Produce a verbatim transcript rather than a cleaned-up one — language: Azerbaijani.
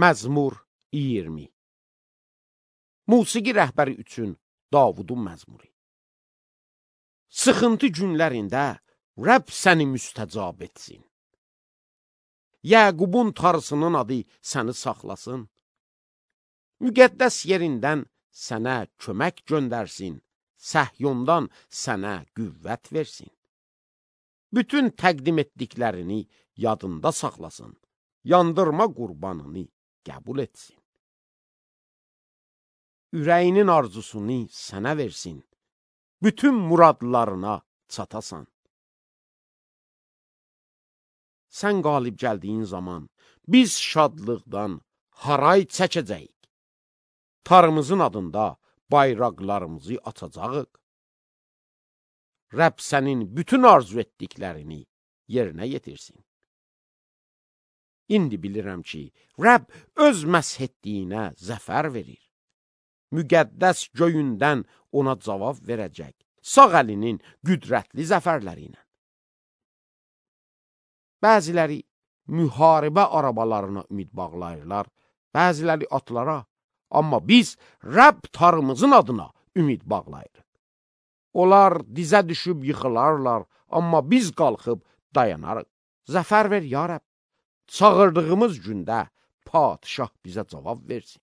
Məzmur iyirmi. Musiqi rəhbəri üçün Davudun məzmuru. Sıxıntı günlərində Rəbb səni müstəcab etsin. Yəqubun tarısının adı səni saxlasın. Müqəddəs yerindən sənə kömək göndərsin. Səhyondan sənə qüvvət versin. Bütün təqdim etdiklərini yadında saxlasın. Yandırma qurbanını qəbul etsin. Ürəyinin arzusunu sənə versin. Bütün muradlarına çatasan. Sən qalib gəldiyin zaman biz şadlıqdan haray çəkəcəyik. Tarımızın adında bayraqlarımızı atacağıq. Rəbb sənin bütün arzu etdiklərini yerinə yetirsin. İndi bilirəm ki, Rəbb öz məsh etdiyinə zəfər verir. Müqəddəs göyündən ona cavab verəcək, sağ əlinin qüdrətli zəfərləri ilə. Bəziləri müharibə arabalarına ümid bağlayırlar, bəziləri atlara, amma biz Rəbb tarımızın adına ümid bağlayırıq. Onlar dizə düşüb yıxılarlar, amma biz qalxıb dayanarıq. Zəfər ver, ya Rəbb, çağırdığımız gündə padişah bizə cavab versin.